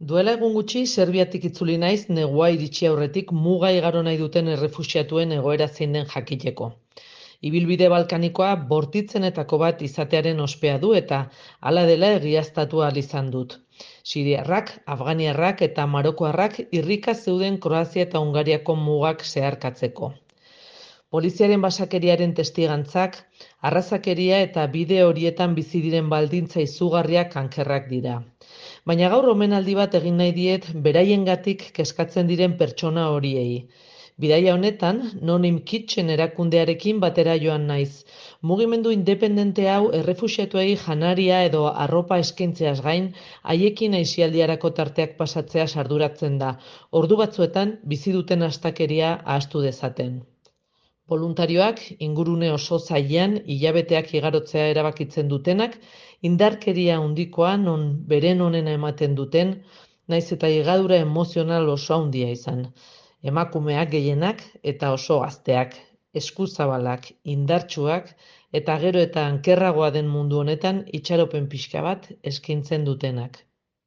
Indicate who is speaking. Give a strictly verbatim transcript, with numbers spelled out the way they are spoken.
Speaker 1: Duela egun gutxi Serbiatik itzuli naiz negua iritsi aurretik muga igaro nahi duten errefuxiatuen egoera zein den jakiteko. Ibilbide balkanikoa bortitzenetako bat izatearen ospea du eta hala dela egiaztatu ahal izan dut. Siriarrak, Afganiarrak eta Marokoarrak irrika zeuden Kroazia eta Hungariako mugak zeharkatzeko. Poliziaren basakeriaren testigantzak, arrazakeria eta bide horietan bizi diren baldintza izugarriak ankerrak dira. Baina gaur omenaldi bat egin nahi diet beraiengatik kezkatzen diren pertsona horiei. Bidaia honetan, Nonim Kitchen erakundearekin batera joan naiz. Mugimendu independente hau errefuxiatuei janaria edo arropa eskaintzeaz gain, haiekin aisialdiarako tarteak pasatzea arduratzen da, ordu batzuetan bizi duten astakeria ahaztu dezaten. Boluntarioak ingurune oso zailean hilabeteak igarotzea erabakitzen dutenak, indarkeria handikoa non beren onena ematen duten, naiz eta higadura emozional oso handia izan. Emakumeak gehienak eta oso gazteak, eskuzabalak, indartsuak eta gero eta ankerragoa den mundu honetan itxaropen pixka bat eskaintzen dutenak.